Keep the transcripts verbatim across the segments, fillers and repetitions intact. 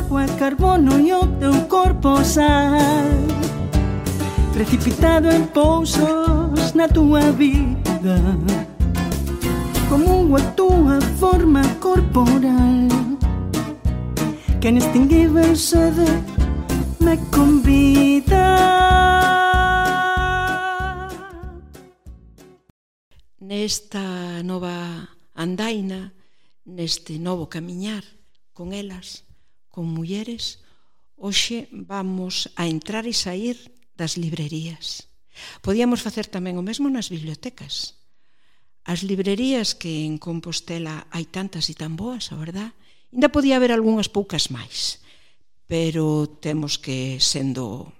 agua, carbono e o teu corpo sal, precipitado en pousos na túa vida, como a túa forma corporal, que inextinguível sede me convida. Nesta nova andaina, neste novo camiñar con elas, con mulleres, hoxe vamos a entrar e sair das librerías. Podíamos facer tamén o mesmo nas bibliotecas. As librerías que en Compostela hai tantas e tan boas, a verdad, ainda podía haber algunhas poucas máis, pero temos que, sendo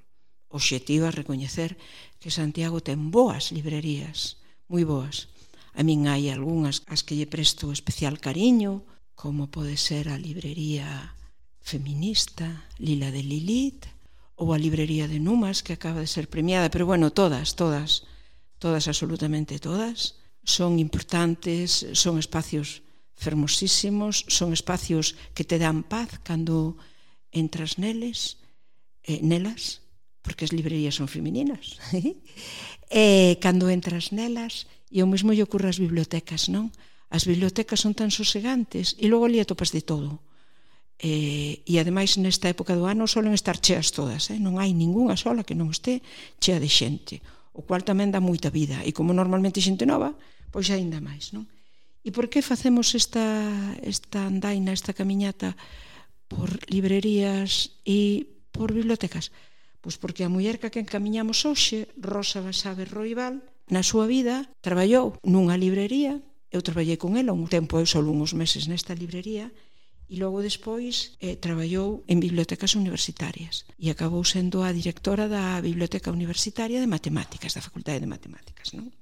obxectivas, recoñecer que Santiago ten boas librerías, moi boas. A min hai algunhas as que lle presto especial cariño, como pode ser a librería feminista, Lila de Lilith, ou a librería de Numas, que acaba de ser premiada, pero bueno, todas, todas, todas, absolutamente todas, son importantes, son espacios fermosísimos, son espacios que te dan paz cando entras neles, eh, nelas, porque as librerías son femininas, e cando entras nelas, e o mesmo lle ocurre ás bibliotecas, non? As bibliotecas son tan sosegantes e logo ali atopas de todo. E, e ademais nesta época do ano solen estar cheas todas, eh? Non hai ningunha sola que non este chea de xente, o cual tamén dá moita vida, e como normalmente xente nova, pois aínda máis, non? E por que facemos esta, esta andaina, esta camiñata por librerías e por bibliotecas? Pois porque a muller que encamiñamos hoxe, Rosa Basabe Roibal, na súa vida traballou nunha librería, eu traballei con ela un tempo, eu solo uns meses nesta librería, e logo despois eh, traballou en bibliotecas universitarias e acabou sendo a directora da Biblioteca Universitaria de Matemáticas, da Facultade de Matemáticas, non?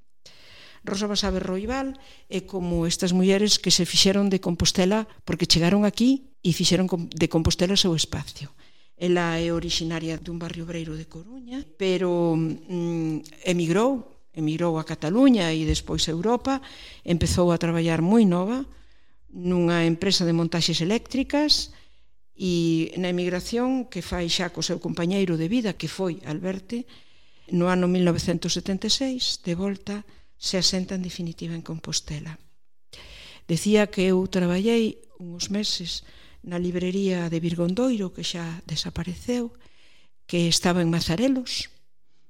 Rosa Basabe Roibal é como estas mulleres que se fixeron de Compostela porque chegaron aquí e fixeron de Compostela o seu espacio. Ela é originaria dun barrio obreiro de Coruña, pero mm, emigrou emigrou a Cataluña e despois a Europa, empezou a traballar moi nova nunha empresa de montaxes eléctricas e na emigración que fai xa co seu compañeiro de vida, que foi Alberte, no ano mil novecentos setenta e seis, de volta, se asenta en definitiva en Compostela. Decía que eu traballei uns meses na librería de Virgondoiro, que xa desapareceu, que estaba en Mazarelos,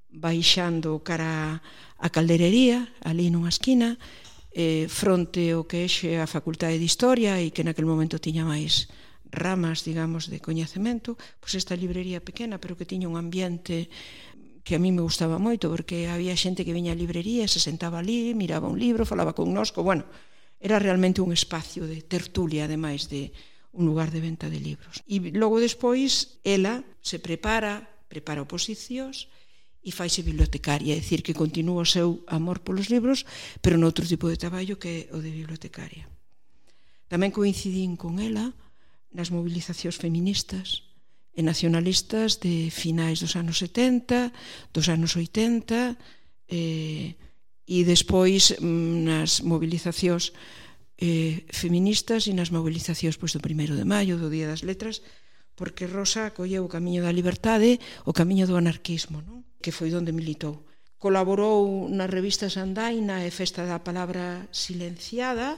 baixando cara a Calderería, ali nunha esquina, eh, fronte ao que é a Facultade de Historia e que naquel momento tiña máis ramas, digamos, de coñecemento, pois esta librería pequena, pero que tiña un ambiente que a mí me gustaba moito, porque había xente que viña á librería, se sentaba ali, miraba un libro, falaba con nosco, bueno, era realmente un espacio de tertulia, ademais de un lugar de venta de libros. E logo despois, ela se prepara, prepara oposicións, e faise bibliotecaria, é dicir, que continúa o seu amor polos libros, pero noutro tipo de traballo que é o de bibliotecaria. Tamén coincidín con ela nas movilizacións feministas e nacionalistas de finais dos anos setenta, dos anos oitenta, e, e despois nas movilizacións eh, feministas e nas movilizacións pois, do primeiro de maio, do Día das Letras, porque Rosa colleu o camiño da liberdade, o camiño do anarquismo, non? Que foi onde militou. Colaborou nas revistas Andaina e Festa da Palabra Silenciada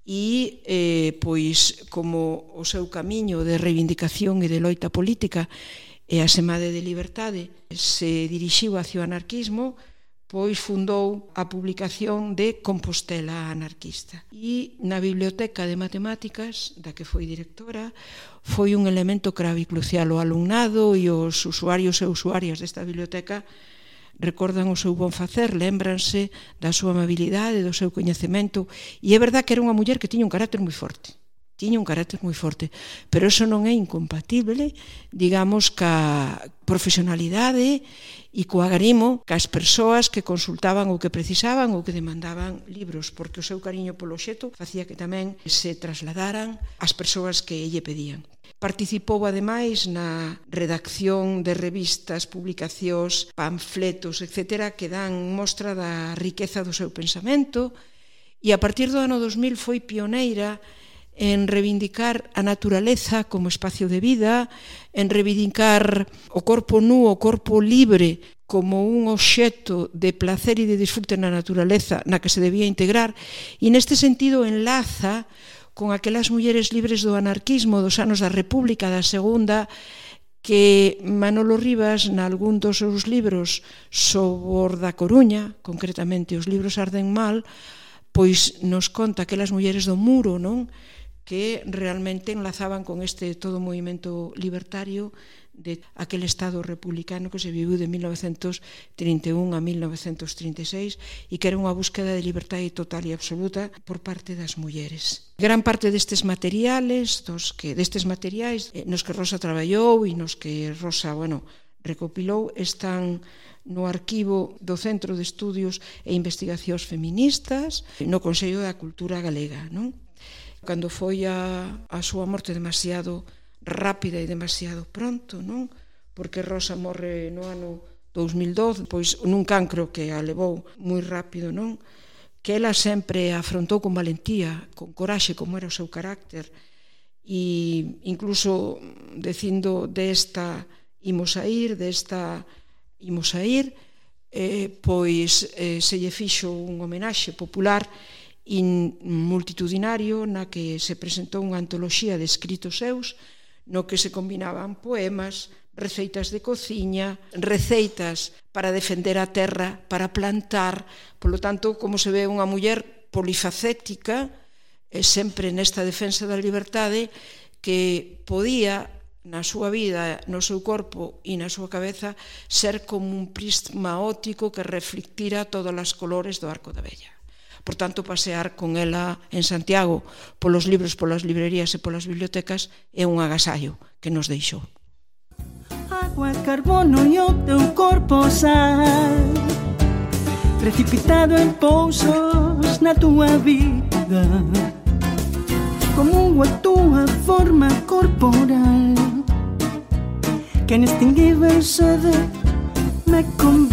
e, eh, pois, como o seu camiño de reivindicación e de loita política e a semade de liberdade se dirixiu hacia o anarquismo, pois fundou a publicación de Compostela Anarquista. E na Biblioteca de Matemáticas, da que foi directora, foi un elemento clave e crucial. O alumnado e os usuarios e usuarias desta biblioteca recordan o seu bon facer, lémbranse da súa amabilidade, do seu coñecemento, e é verdad que era unha muller que tiña un carácter moi forte. Tiña un carácter moi forte, pero eso non é incompatible, digamos, ca profesionalidade e co agarimo cas persoas que consultaban ou que precisaban ou que demandaban libros, porque o seu cariño polo obxecto facía que tamén se trasladaran as persoas que lle pedían. Participou, ademais, na redacción de revistas, publicacións, panfletos, etcétera, que dan mostra da riqueza do seu pensamento, e a partir do ano dos mil foi pioneira en reivindicar a naturaleza como espacio de vida, en reivindicar o corpo nu, o corpo libre, como un obxecto de placer e de disfrute na naturaleza na que se debía integrar, e neste sentido enlaza con aquelas mulleres libres do anarquismo dos anos da República, da Segunda, que Manolo Rivas, nalgún dos seus libros sobre da Coruña, concretamente os libros Arden Mal, pois nos conta aquelas mulleres do muro, non? Que realmente enlazaban con este todo movimento libertario de aquel Estado republicano que se viviu de mil novecentos trinta e un a mil novecentos trinta e seis e que era unha búsqueda de liberdade total e absoluta por parte das mulleres. Gran parte destes materiales, dos que destes materiais nos que Rosa traballou e nos que Rosa, bueno, recopilou, están no arquivo do Centro de Estudios e Investigacións Feministas no Consello da Cultura Galega, non? Cando foi a, a súa morte demasiado rápida e demasiado pronto, non? Porque Rosa morre no ano dous mil doce, pois nun cancro que a levou moi rápido, non? Que ela sempre afrontou con valentía, con coraxe, como era o seu carácter, e incluso dicindo desta imos a ir, desta imos a ir, eh, pois eh, se lle fixo un homenaxe popular e multitudinario na que se presentou unha antoloxía de escritos seus no que se combinaban poemas, receitas de cociña, receitas para defender a terra, para plantar. Polo tanto, como se ve unha muller polifacética, eh, sempre nesta defensa da liberdade, que podía na súa vida, no seu corpo e na súa cabeza ser como un prisma óptico que reflectira todos os colores do Arco da Vella. Por tanto, pasear con ela en Santiago polos libros, polas librerías e polas bibliotecas é un agasallo que nos deixou. Agua, carbono e o teu corpo sal, precipitado en pousos na tua vida, como a tua forma corporal, que inextinguível sede me convida.